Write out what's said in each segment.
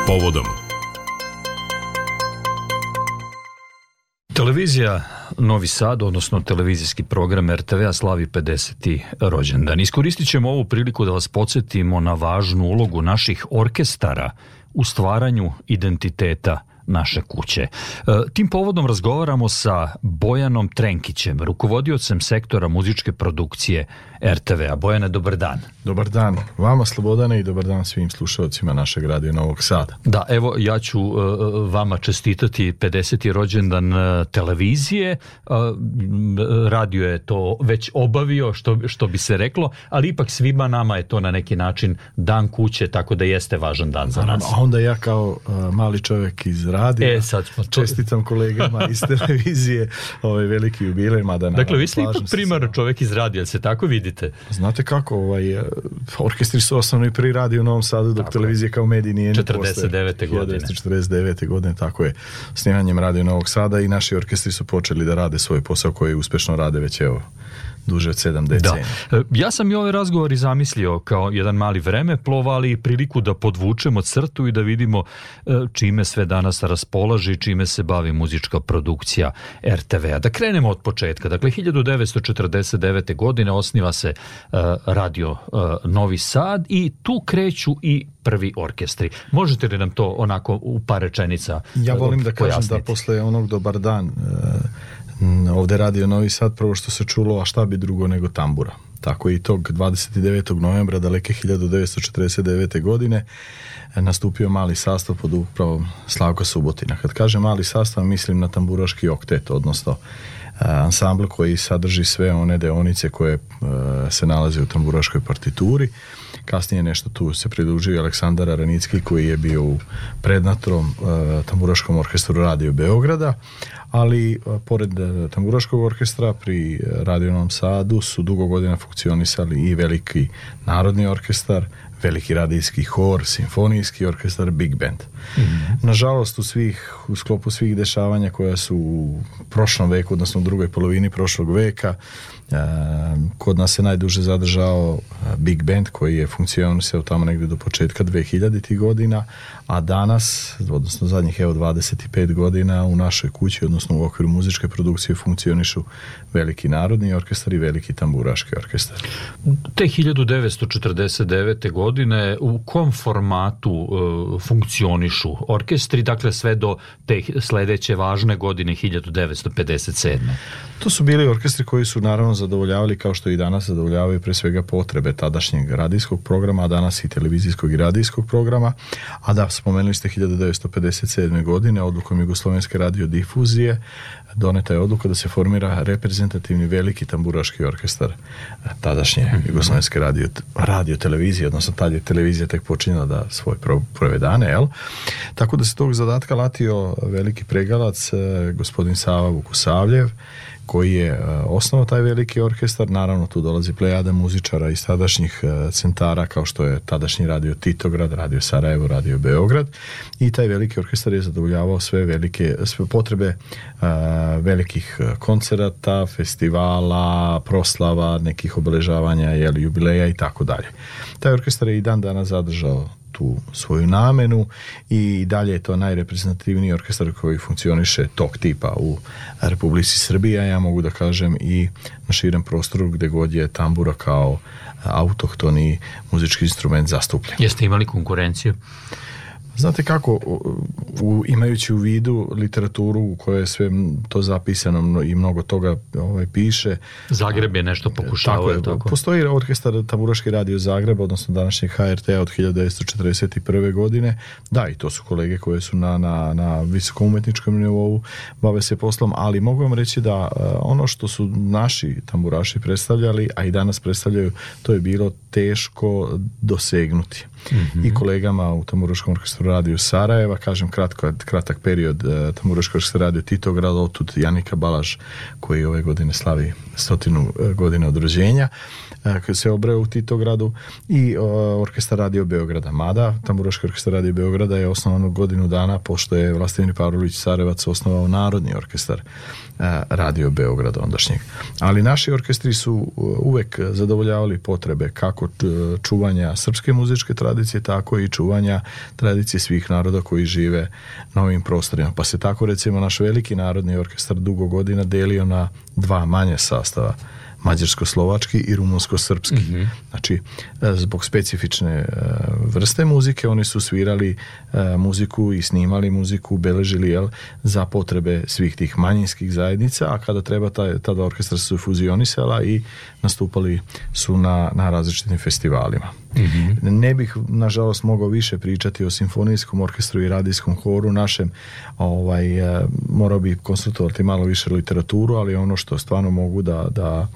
povodom. Televizija Novi Sad, odnosno televizijski program RTV-a slavi 50. rođendan. Iskoristit ćemo ovu priliku da vas podsjetimo na važnu ulogu naših orkestara u stvaranju identiteta naše kuće. Tim povodom razgovaramo sa Bojanom Trenkićem, rukovodiocem sektora muzičke produkcije RTV-a. Bojane, dobar dan. Dobar dan vama, Slobodane, i dobar dan svim slušalcima našeg radija Novog Sada. Da, evo, ja ću vama čestitati 50. rođendan televizije. Radio je to već obavio, što bi se reklo, ali ipak svima nama je to na neki način dan kuće, tako da jeste važan dan za nas. A onda ja kao mali čovjek iz radija čestitam kolegama iz televizije ovaj veliki jubilej, mada dakle, vi ste ipak primar čovjek iz radija, se tako vidite? Znate kako, orkestri su osnovni pri radiju u Novom Sadu, dok televizija kao medij nije 49. godine. 1949. godine, tako je, snimanjem Radio Novog Sada, i naši orkestri su počeli da rade svoj posao koji uspešno rade već duže od 7 decenija. Da. Ja sam i ovaj razgovor i zamislio kao jedan mali vremeplov, ali priliku da podvučemo crtu i da vidimo čime sve danas raspolaže i čime se bavi muzička produkcija RTV-a. Da krenemo od početka. Dakle, 1949. godine osniva se Radio Novi Sad i tu kreću i prvi orkestri. Možete li nam to onako u par rečenica Ja volim da kažem pojasniti? Da posle onog Dobar dan ovde Radio Novi Sad, prvo što se čulo, a šta bi drugo nego tambura. Tako i tog 29. novembra daleke 1949. godine nastupio mali sastav pod upravom Slavka Subotina. Kad kažem mali sastav, mislim na tamburaški oktet, odnosno ansambl koji sadrži sve one deonice koje se nalaze u tamburaškoj partituri. Kasnije nešto tu se pridružio Aleksandar Aranicki, koji je bio u prednatrom tamburaškom orkestru Radio Beograda, ali pored tamburaškog orkestra pri Radio Novom Sadu su dugo godina funkcionisali i veliki narodni orkestar, veliki radijski hor, simfonijski orkestar, big band. Nažalost, u sklopu svih dešavanja koja su u prošlom veku, odnosno u drugoj polovini prošlog veka, kod nas se najduže zadržao big band, koji je funkcionisao tamo negdje do početka 2000. godina, a danas, odnosno zadnjih 25 godina, u našoj kući, odnosno u okviru muzičke produkcije, funkcionišu veliki narodni orkestar i veliki tamburaški orkestar. Te 1949. godine u kom formatu funkcionišu orkestri, dakle sve do te sledeće važne godine 1957. To su bili orkestri koji su naravno zadovoljavali, kao što i danas zadovoljavaju, pre svega potrebe tadašnjeg radijskog programa, a danas i televizijskog i radijskog programa. A da, spomenuli ste 1957. godine odlukom Jugoslovenske radiodifuzije doneta je odluka da se formira reprezentativni veliki tamburaški orkestar tadašnje Jugoslovenske radiotelevizije, odnosno tad je televizija tek počinjala da svoj prve dane, jel? Tako da se tog zadatka latio veliki pregalac, gospodin Sava Vukusavljev, koji je osnovao taj veliki orkestar. Naravno, tu dolazi plejada muzičara iz tadašnjih centara, kao što je tadašnji Radio Titograd, Radio Sarajevo, Radio Beograd, i taj veliki orkestar je zadovoljavao sve potrebe velikih koncerata, festivala, proslava, nekih obeležavanja, jubileja i tako dalje. Taj orkestar je i dan danas zadržao tu svoju namenu i dalje je to najreprezentativniji orkestar koji funkcioniše tog tipa u Republici Srbiji, a ja mogu da kažem i na širem prostoru gde god je tambura kao autohtoni muzički instrument zastupljen. Jeste imali konkurenciju? Znate kako, imajući u vidu literaturu u kojoj je sve to zapisano i mnogo toga piše. Zagreb je nešto pokušavao. Tako. Postoji orkestar Tamburaški radio Zagreba, odnosno današnjeg HRT-a od 1941. godine. Da, i to su kolege koje su na visokom umetničkom nivou, bave se poslom, ali mogu vam reći da ono što su naši tamburaši predstavljali, a i danas predstavljaju, to je bilo teško dosegnuti. I kolegama u Tamburaškom orkestru Radio Sarajeva, kažem kratak period Tamburaškog orkestra Radio Titograd, otud Janika Balaž, koji ove godine slavi 100 godina od rođenja, koji se obreo u Titogradu, i orkestar Radio Beograda. Mada Tamburaški orkestar Radio Beograda je osnovan godinu dana pošto je Vlastimir Pavlović Sarevac osnovao Narodni orkestar Radio Beograda ondašnjeg. Ali naši orkestri su uvek zadovoljavali potrebe kako čuvanja srpske muzičke tradicije, tako i čuvanja tradicije predstavnici svih naroda koji žive na ovim prostorima. Pa se tako recimo naš veliki narodni orkestar dugo godina delio na dva manje sastava, mađarsko-slovački i rumunsko-srpski. Znači, zbog specifične vrste muzike oni su svirali muziku i snimali muziku, beležili za potrebe svih tih manjinskih zajednica, a kada treba tada orkestra su fuzionisala i nastupali su na različitim festivalima. Ne bih, nažalost, mogao više pričati o simfonijskom orkestru i radijskom horu našem, morao bih konsultovati malo više literaturu, ali ono što stvarno mogu da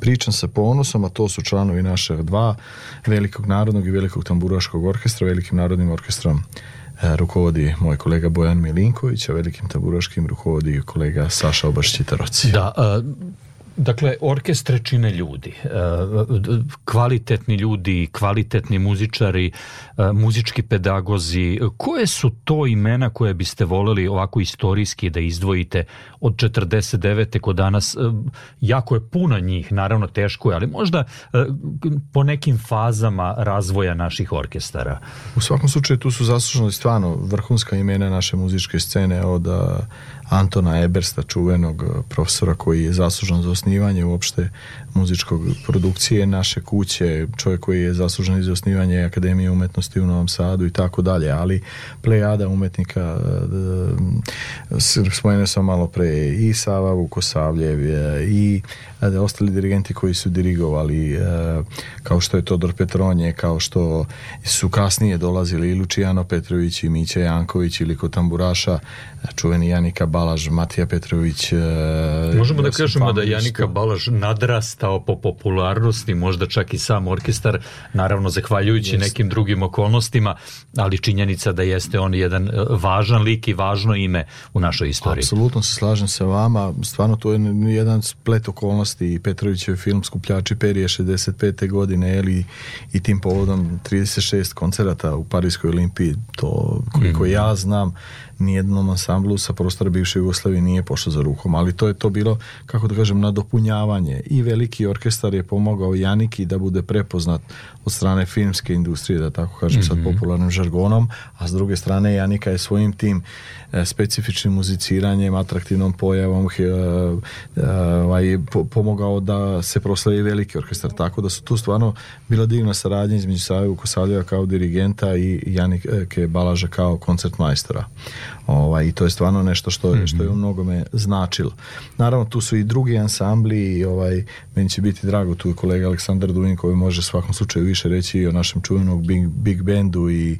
pričam sa ponosom, a to su članovi našeg dva, Velikog narodnog i Velikog tamburaškog orkestra. Velikim narodnim orkestrom rukovodi moj kolega Bojan Milinković, a Velikim tamburaškim rukovodi kolega Saša Obašćitaroci. Da, dakle, orkestre čine ljudi, kvalitetni ljudi, kvalitetni muzičari, muzički pedagozi. Koje su to imena koje biste voljeli ovako istorijski da izdvojite od 49. kod danas? Jako je puno njih, naravno teško je, ali možda po nekim fazama razvoja naših orkestara. U svakom slučaju tu su zaslužili stvarno vrhunska imena naše muzičke scene, od Antona Ebersta, čuvenog profesora koji je zaslužan za osnivanje uopšte muzičkog produkcije naše kuće, čovjek koji je zaslužan i za osnivanje Akademije umetnosti u Novom Sadu i tako dalje, ali plejada umetnika, spomenuo sam malo pre i Sava Vukosavljev i ostali dirigenti koji su dirigovali, kao što je Todor Petronje, kao što su kasnije dolazili i Lučijano Petrović i Mića Janković, ili kod tamburaša čuveni Janika Balaž, Matija Petrović. Možemo da kažemo da Janika Balaž nadrastao po popularnosti, možda čak i sam orkestar, naravno zahvaljujući nekim drugim okolnostima, ali činjenica da jeste on jedan važan lik i važno ime u našoj istoriji. Apsolutno se slažem sa vama, stvarno to je jedan splet okolnosti. Petrovićev film Skupljači perje 65. godine, i tim povodom 36 koncerata u Parijskoj Olimpiji, to koliko ja znam, nijednom ansamblu sa prostora bivše Jugoslavije nije pošlo za rukom, ali to je to bilo, kako da kažem, nadopunjavanje, i veliki orkestar je pomogao Janiki da bude prepoznat od strane filmske industrije, da tako kažem sad popularnim žargonom, a s druge strane Janika je svojim tim specifičnim muziciranjem, atraktivnom pojavom pomogao da se proslavi veliki orkestar, tako da su tu stvarno bila divna saradnja između Save Vukosavljeva kao dirigenta i Janike Balaža kao koncertmajstora. I to je stvarno nešto što je u mnogome značilo. Naravno, tu su i drugi ansambli i meni će biti drago, tu je kolega Aleksandar Dujin koji može svakom slučaju više reći i o našem čuvenom Big Bandu, i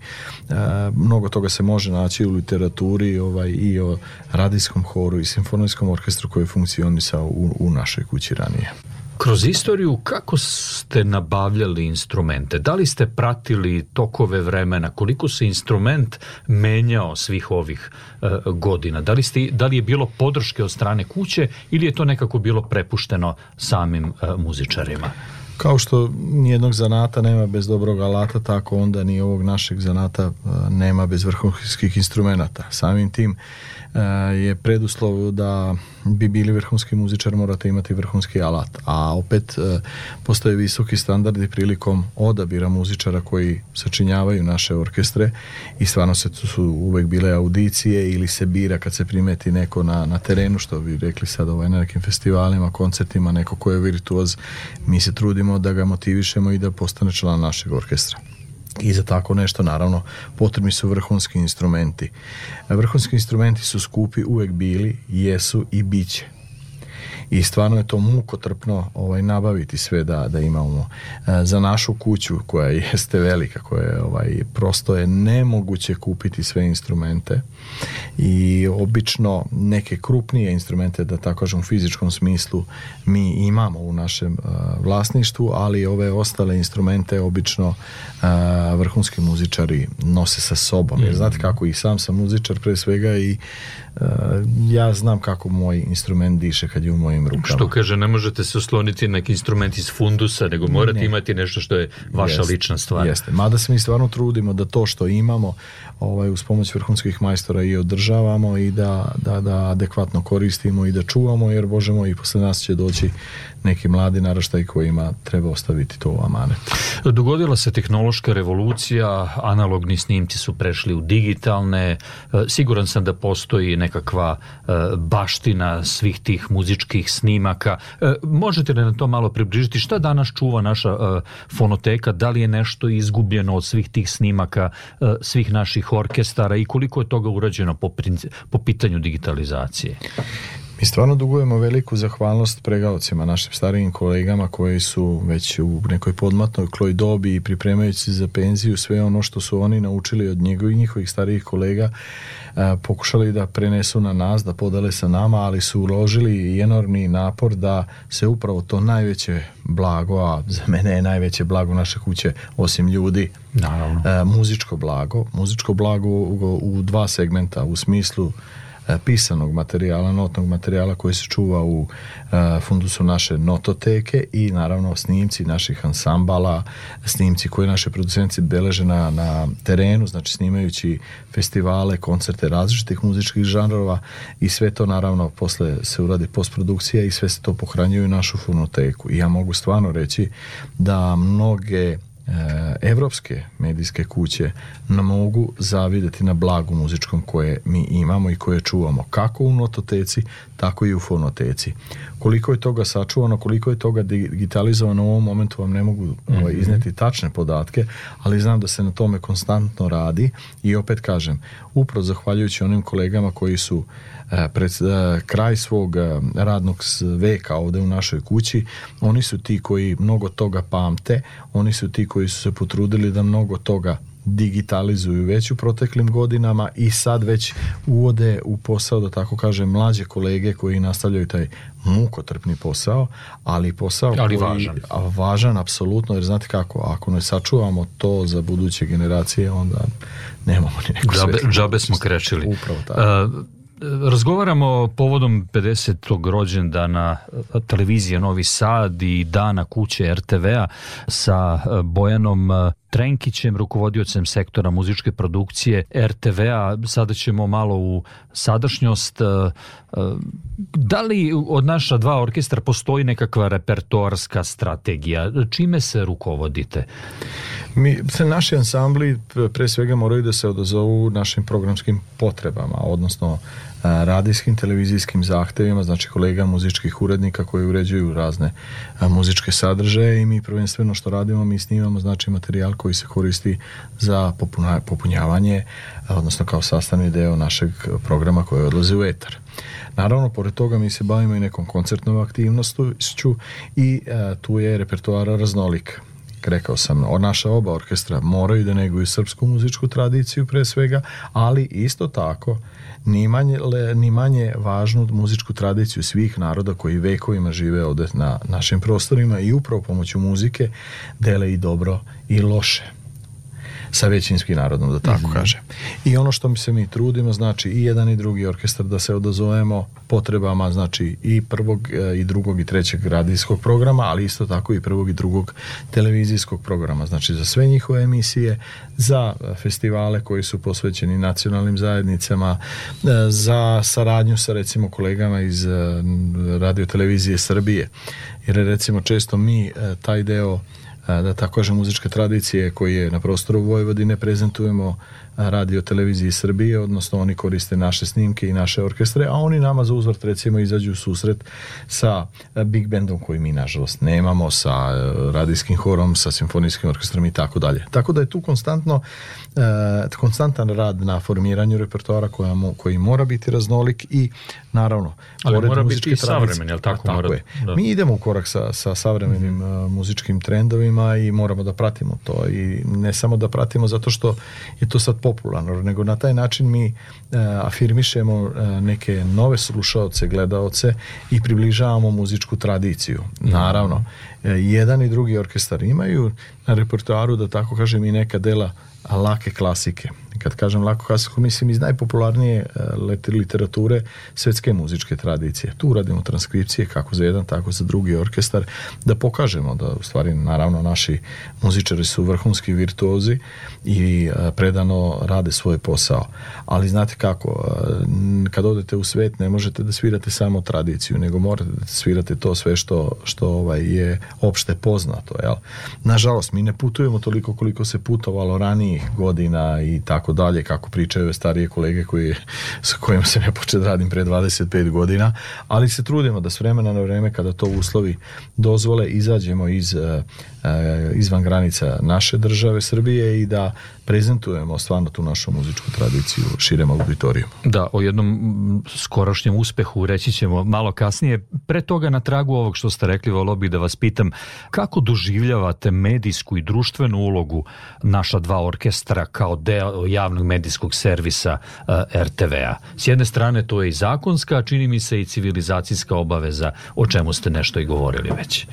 mnogo toga se može naći u literaturi, i o radijskom horu i simfonijskom orkestru koji je funkcionisao u našoj kući ranije. Kroz istoriju, kako ste nabavljali instrumente? Da li ste pratili tokove vremena? Koliko se instrument menjao svih ovih godina? Da li je bilo podrške od strane kuće ili je to nekako bilo prepušteno samim muzičarima? Kao što nijednog zanata nema bez dobrog alata, tako onda ni ovog našeg zanata nema bez vrhunskih instrumenata. Samim tim je preduslov da bi bili vrhunski muzičar, morate imati vrhunski alat, a opet postoje visoki standardi prilikom odabira muzičara koji sačinjavaju naše orkestre, i stvarno su uvek bile audicije ili se bira kad se primeti neko na terenu, što bi rekli sad na nekim festivalima, koncertima, neko ko je virtuoz, mi se trudimo da ga motivišemo i da postane član našeg orkestra. I za tako nešto, naravno, potrebni su vrhunski instrumenti. Vrhunski instrumenti su skupi uvek bili, jesu i bit će. I stvarno je to mukotrpno nabaviti sve da imamo. Za našu kuću, koja jeste velika, koja je prosto je nemoguće kupiti sve instrumente, i obično neke krupnije instrumente, da tako kažem u fizičkom smislu, mi imamo u našem vlasništvu, ali ove ostale instrumente obično vrhunski muzičari nose sa sobom. Jer znate kako, i sam muzičar pre svega, i ja znam kako moj instrument diše kad je u mojim svojim rukama. Što kaže, ne možete se osloniti na neki instrument iz fundusa, nego morate imati nešto što je vaša lična stvar. Jeste, mada se mi stvarno trudimo da to što imamo uz pomoć vrhunskih majstora i održavamo i da adekvatno koristimo i da čuvamo, jer Bože moj, i posle nas će doći neki mladi naraštaj kojima treba ostaviti to u amanet. Dogodila se tehnološka revolucija, analogni snimci su prešli u digitalne, siguran sam da postoji nekakva baština svih tih muzičkih snimaka. Možete li na to malo približiti? Šta danas čuva naša fonoteka? Da li je nešto izgubljeno od svih tih snimaka, svih naših orkestara i koliko je toga urađeno po pitanju digitalizacije? Mi stvarno dugujemo veliku zahvalnost pregaocima, našim starijim kolegama koji su već u nekoj podmakloj dobi i pripremajući se za penziju, sve ono što su oni naučili od njihovih starijih kolega pokušali da prenesu na nas, da podele sa nama, ali su uložili i enormni napor da se upravo to najveće blago, a za mene je najveće blago naše kuće, osim ljudi, muzičko blago u dva segmenta, u smislu pisanog materijala, notnog materijala koji se čuva u fundusu naše nototeke i naravno snimci naših ansambala, snimci koje naše producenti beleže na terenu, znači snimajući festivale, koncerte različitih muzičkih žanrova i sve to naravno posle se uradi postprodukcija i sve se to pohranjuje u našu fonoteku. I ja mogu stvarno reći da mnoge evropske medijske kuće nam mogu zavidjeti na blagu muzičkom koje mi imamo i koje čuvamo kako u nototeci, tako i u fonoteci. Koliko je toga sačuvano, koliko je toga digitalizovano u ovom momentu vam ne mogu izneti tačne podatke, ali znam da se na tome konstantno radi i opet kažem, upravo zahvaljujući onim kolegama koji su pred kraj svog radnog veka ovde u našoj kući, oni su ti koji mnogo toga pamte, oni su ti koji su se potrudili da mnogo toga digitalizuju već u proteklim godinama i sad već uvode u posao, da tako kažem, mlađe kolege koji nastavljaju taj mukotrpni posao, ali posao koji važan apsolutno, jer znate kako, ako ne sačuvamo to za buduće generacije, onda nemamo ni neku svetu. Džabe smo krečili. Upravo tako. Razgovaramo povodom 50. rođendana televizije Novi Sad i dana kuće RTV-a sa Bojanom Trenkićem, rukovodiocem sektora muzičke produkcije RTV-a. Sada ćemo malo u sadašnjost. Da li od naša dva orkestra postoji nekakva repertoarska strategija? Čime se rukovodite? Naši ansambli pre svega moraju da se odazovu našim programskim potrebama, odnosno radijskim, televizijskim zahtevima, znači kolega muzičkih urednika koji uređuju razne muzičke sadržaje i mi prvenstveno što radimo, mi snimamo znači materijal koji se koristi za popunjavanje, odnosno kao sastavni deo našeg programa koji odlazi u etar. Naravno, pored toga mi se bavimo i nekom koncertnom aktivnošću i tu je repertoar raznolik. Rekao sam, naša oba orkestra moraju da neguju srpsku muzičku tradiciju pre svega, ali isto tako ni manje važnu muzičku tradiciju svih naroda koji vekovima žive ovde na našim prostorima i upravo pomoću muzike dele i dobro i loše sa većinskim narodom, da tako kaže. I ono što mi trudimo, znači i jedan i drugi orkestar da se odazovemo potrebama, znači i prvog i drugog i trećeg radijskog programa, ali isto tako i prvog i drugog televizijskog programa, znači za sve njihove emisije, za festivale koji su posvećeni nacionalnim zajednicama, za saradnju sa recimo kolegama iz Radio televizije Srbije, jer recimo često mi taj deo da tako kažem muzičke tradicije koje na prostoru Vojvodine prezentujemo Radio televiziji Srbije, odnosno oni koriste naše snimke i naše orkestre, a oni nama za uzvrat recimo izađu u susret sa big bandom koji mi nažalost nemamo, sa radijskim horom, sa simfonijskim orkestrom i tako dalje. Tako da je tu konstantan rad na formiranju repertoara koji mora biti raznolik i naravno ali mora biti i savremen, jel tako? Tako je. Da. Mi idemo u korak sa savremenim muzičkim trendovima i moramo da pratimo to i ne samo da pratimo zato što je to sad popularno, nego na taj način mi afirmišemo neke nove slušaoce, gledaoce i približavamo muzičku tradiciju. Naravno, jedan i drugi orkestar imaju na repertoaru, da tako kažem, i neka dela lake klasike, Kad kažem lako klasiku, mislim iz najpopularnije literature svetske muzičke tradicije. Tu radimo transkripcije kako za jedan, tako za drugi orkestar, da pokažemo da u stvari, naravno, naši muzičari su vrhunski virtuozi i predano rade svoj posao. Ali znate kako, kad odete u svet ne možete da svirate samo tradiciju, nego morate da svirate to sve što je opšte poznato. Jel? Nažalost, mi ne putujemo toliko koliko se putovalo ranijih godina i tako dalje, kako pričaju starije kolege s kojima se ne počet radim pre 25 godina, ali se trudimo da s vremena na vreme, kada to uslovi dozvole, izađemo izvan granica naše države Srbije i da prezentujemo stvarno tu našu muzičku tradiciju širem auditoriju. Da, o jednom skorašnjem uspehu reći ćemo malo kasnije. Pre toga, na tragu ovog što ste rekli, volio bih da vas pitam kako doživljavate medijsku i društvenu ulogu naša dva orkestra kao deo javnog medijskog servisa RTV-a. S jedne strane to je i zakonska, a čini mi se i civilizacijska obaveza, o čemu ste nešto i govorili već.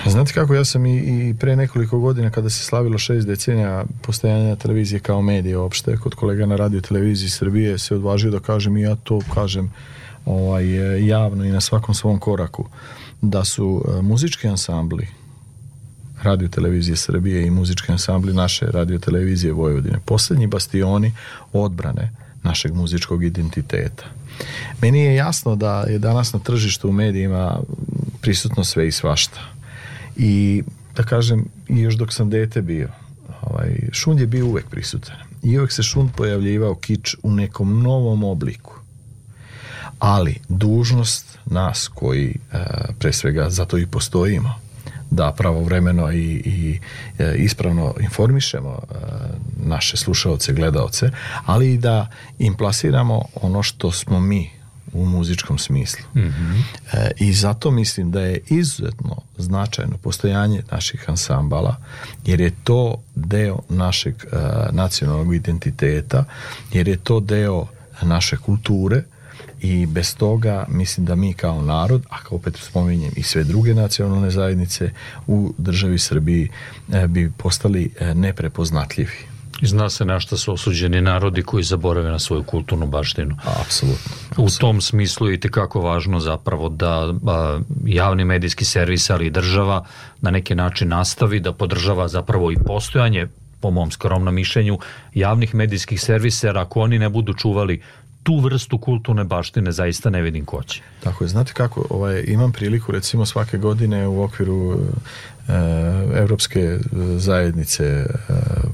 Znate kako, ja sam i pre nekoliko godina, kada se slavilo 6 decenija postojanja televizije kao medije opšte, kod kolega na Radio televiziji Srbije, se odvažio da kažem, i ja to kažem javno i na svakom svom koraku, da su muzički ansambli Radio televizije Srbije i muzički ansambli naše Radio televizije Vojvodine poslednji bastioni odbrane našeg muzičkog identiteta. Meni je jasno da je danas na tržištu u medijima prisutno sve i svašta. I da kažem, i još dok sam dete bio, šund je bio uvek prisutan. I uvek se šund pojavljivao, kič, u nekom novom obliku. Ali dužnost nas koji pre svega zato i postojimo, da pravovremeno i ispravno informišemo naše slušaoce, gledaoce, ali i da im plasiramo ono što smo mi u muzičkom smislu. Mm-hmm. I zato mislim da je izuzetno značajno postojanje naših ansambala, jer je to deo našeg nacionalnog identiteta, jer je to deo naše kulture, i bez toga mislim da mi kao narod, a opet spominjem i sve druge nacionalne zajednice u državi Srbiji, bi postali neprepoznatljivi. I zna se na šta su osuđeni narodi koji zaborave na svoju kulturnu baštinu. Apsolutno. U tom smislu je itekako važno zapravo da javni medijski servis, ali i država na neki način nastavi da podržava zapravo i postojanje, po mom skromnom mišljenju, javnih medijskih servisa, jer ako oni ne budu čuvali tu vrstu kulturne baštine, zaista ne vidim ko će. Tako je, znate kako, imam priliku recimo svake godine u okviru Evropske zajednice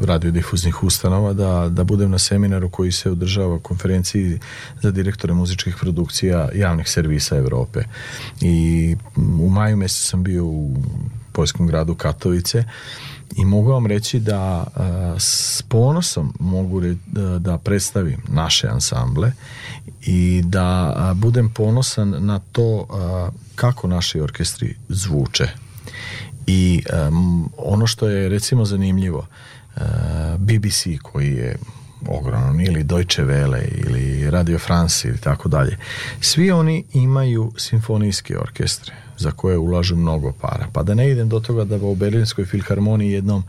radiodifuznih ustanova da budem na seminaru koji se održava, konferenciji za direktore muzičkih produkcija javnih servisa Evrope. I u maju mesecu sam bio u poljskom gradu Katovice i mogu vam reći da s ponosom mogu da predstavim naše ansamble i da budem ponosan na to kako naši orkestri zvuče. I ono što je recimo zanimljivo, BBC koji je ogroman, ili Deutsche Welle ili Radio France ili tako dalje, svi oni imaju simfonijske orkestre za koje ulažu mnogo para. Pa da ne idem do toga da u Berlinskoj filharmoniji jednom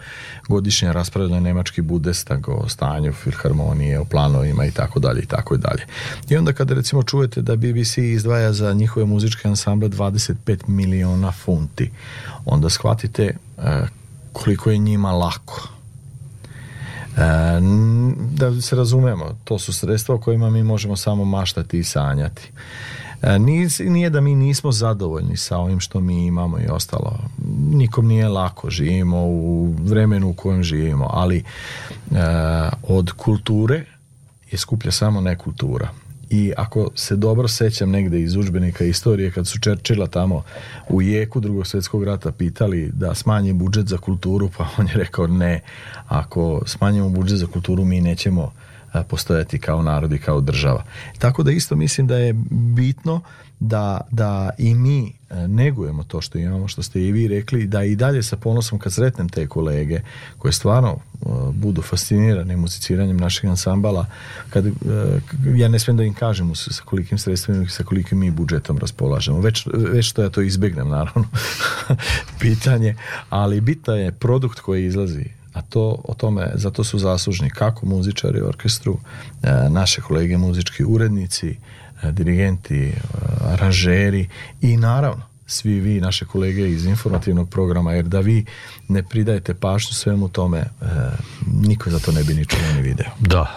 godišnje raspravlja nemački Bundestag o stanju filharmonije, o planovima i tako dalje i tako dalje. I onda kada recimo čujete da BBC izdvaja za njihove muzičke ansamble 25 miliona funti, onda shvatite koliko je njima lako. Da se razumemo, to su sredstva o kojima mi možemo samo maštati i sanjati. Nije da mi nismo zadovoljni sa ovim što mi imamo i ostalo. Nikom nije lako, živimo u vremenu u kojem živimo, ali od kulture je skuplja samo nekultura. I ako se dobro sećam negde iz udžbenika istorije, kad su Churchilla tamo u jeku Drugog svjetskog rata pitali da smanji budžet za kulturu, pa on je rekao ne, ako smanjimo budžet za kulturu mi nećemo postojati kao narod i kao država. Tako da isto mislim da je bitno da i mi negujemo to što imamo, što ste i vi rekli, da i dalje sa ponosom kad sretnem te kolege koje stvarno budu fascinirani muziciranjem naših ansambala, ja ne smijem da im kažem sa kolikim sredstvima i sa kolikim mi budžetom raspolažemo. Već što ja to izbegnem, naravno, pitanje, ali bitan je produkt koji izlazi, a zato su zaslužni kako muzičari u orkestru, naše kolege muzički urednici, dirigenti, aranžeri i naravno svi vi, naše kolege iz informativnog programa, jer da vi ne pridajete pažnju svemu tome, niko za to ne bi ni čuo ni video. Da,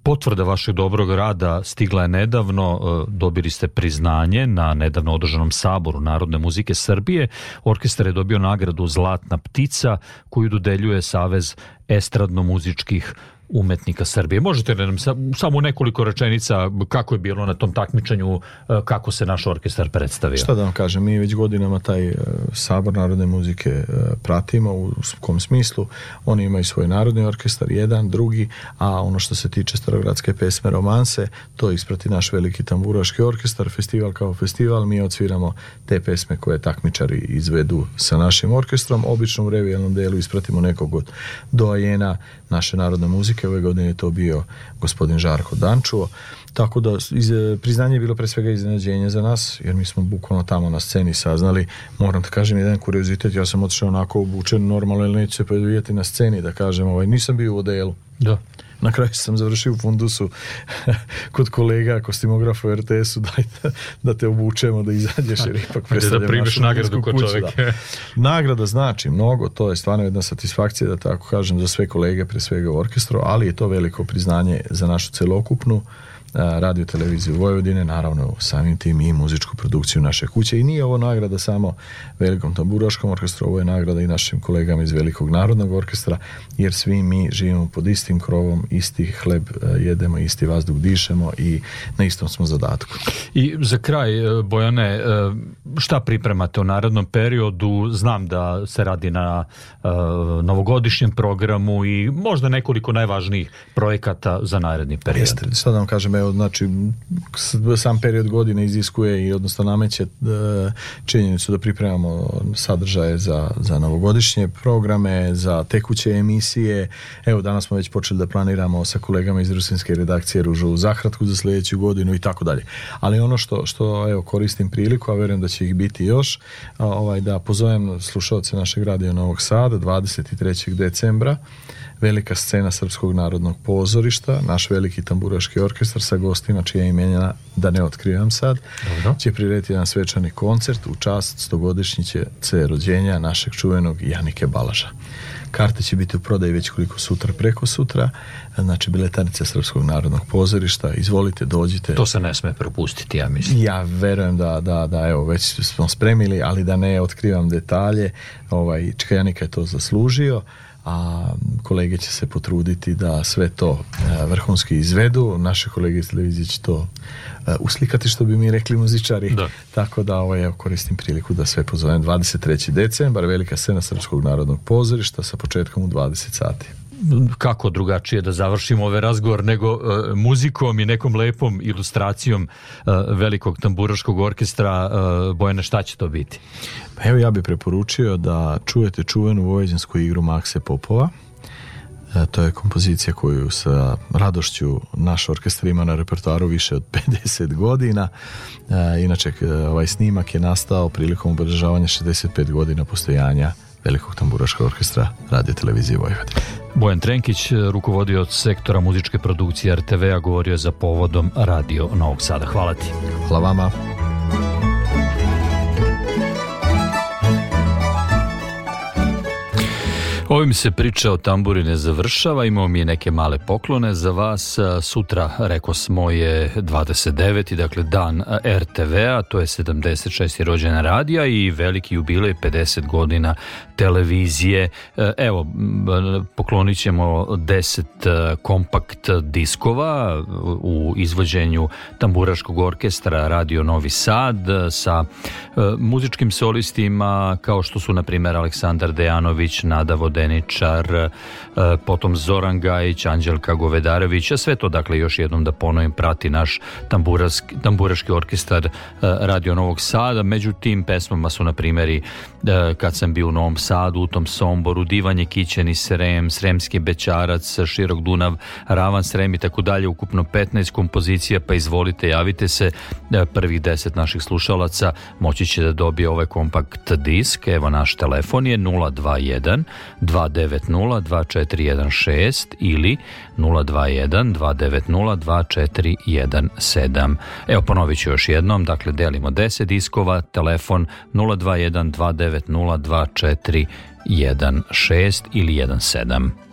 potvrda vašeg dobrog rada stigla je nedavno, dobili ste priznanje na nedavno održanom saboru Narodne muzike Srbije. Orkestar je dobio nagradu Zlatna ptica koju dodeljuje Savez estradno-muzičkih umetnika Srbije. Možete li nam samo nekoliko rečenica kako je bilo na tom takmičenju, kako se naš orkestar predstavio? Šta da vam kažem, mi već godinama taj sabor narodne muzike pratimo, u kom smislu oni imaju svoj narodni orkestar, jedan, drugi, a ono što se tiče starogradske pesme romanse, to isprati naš veliki tamburaški orkestar, festival kao festival, mi odsviramo te pesme koje takmičari izvedu sa našim orkestrom, obično u revijalnom delu ispratimo nekog od doajena naše narodne muzike. Ove godine je to bio gospodin Žarko Dančuo, tako da priznanje je bilo pre svega iznenađenje za nas, jer mi smo bukvalno tamo na sceni saznali. Moram da kažem jedan kuriozitet, ja sam otišao onako obučen normalno, ili neću se predvidjeti na sceni, da kažem, nisam bio u odelu. Da. Na kraju sam završio u fundusu kod kolega kostimografa u RTS-u, daj da te obučemo, da izađeš, jer ipak predstavljam da primiš nagradu kod čovjeka. Nagrada znači mnogo, to je stvarno jedna satisfakcija, da tako kažem, za sve kolege, pre svega u orkestru, ali je to veliko priznanje za našu celokupnu radio televiziju Vojvodine, naravno samim tim i muzičku produkciju naše kuće. I nije ovo nagrada samo Velikom tamburaškom orkestru, ovo je nagrada i našim kolegama iz Velikog narodnog orkestra, jer svi mi živimo pod istim krovom, isti hleb jedemo, isti vazduh dišemo i na istom smo zadatku. I za kraj, Bojane, šta pripremate u narednom periodu? Znam da se radi na novogodišnjem programu i možda nekoliko najvažnijih projekata za naredni period. Jeste, sad vam kažem, znači sam period godine iziskuje i odnosno nameće činjenicu da pripremamo sadržaje za novogodišnje programe, za tekuće emisije. Evo, danas smo već počeli da planiramo sa kolegama iz rusinske redakcije Ružovu zahratku za sljedeću godinu i tako dalje. Ali ono što evo, koristim priliku, a verujem da će ih biti još, da pozovem slušalce našeg radija Novog Sada 23. decembra, velika scena Srpskog narodnog pozorišta, naš veliki tamburaški orkestar sa gostima čija imena, da ne otkrivam sad, će prirediti jedan svečani koncert u čast 100-godišnjice rođenja našeg čuvenog Janike Balaža. Karte će biti u prodaji već koliko sutra, preko sutra, znači biletarica Srpskog narodnog pozorišta, izvolite, dođite. To se ne sme propustiti, ja mislim. Ja verujem da evo, već smo spremili, ali da ne otkrivam detalje, Čika Janika je to zaslužio, a kolege će se potruditi da sve to vrhunski izvedu. Naše kolege iz televizije će to uslikati, što bi mi rekli muzičari. Da. Tako da koristim priliku da sve pozovem. 23. decembar, velika scena Srpskog narodnog pozorišta sa početkom u 20 sati. Kako drugačije da završimo ovaj razgovor nego muzikom i nekom lepom ilustracijom Velikog tamburaškog orkestra. Bojane, šta će to biti? Pa evo, ja bih preporučio da čujete čuvenu vojvođansku igru Makse Popova. To je kompozicija koju sa radošću naš orkestar ima na repertoaru više od 50 godina. Inače, ovaj snimak je nastao prilikom obeležavanja 65 godina postojanja Velikog tamburaškog orkestra Radio televizije Vojvodine. Bojan Trenkić, rukovodioc sektora muzičke produkcije RTV-a, govorio za povodom Radio Novog Sada. Hvala ti. Hvala vama. Ovim se priča o tamburi ne završava, imamo mi neke male poklone za vas. Sutra, rekao smo, je 29. dakle dan RTV-a, to je 76. rođendan radija i veliki jubilej 50 godina televizije. Evo, poklonit ćemo 10 kompakt diskova u izvođenju tamburaškog orkestra Radio Novi Sad sa muzičkim solistima kao što su na primjer Aleksandar Dejanović, Nada Vodeničar, potom Zoran Gajić, Anđelka Govedarević, a sve to, dakle, još jednom da ponovim, prati naš tamburaški orkestar Radio Novog Sada. Među tim pesmama su na primjeri Kad sam bio u Novom Sadu, U tom Somboru, Divanje Kićeni Srem, Sremski Bećarac, Širok Dunav, Ravan Srem i tako dalje, ukupno 15 kompozicija, pa izvolite, javite se. Prvih 10 naših slušalaca moći će da dobije ovaj kompakt disk. Evo, naš telefon je 021 290-2416 ili 021-290-2417. Evo, ponovit ću još jednom, dakle delimo 10 diskova, telefon 021-290-2416 ili 17.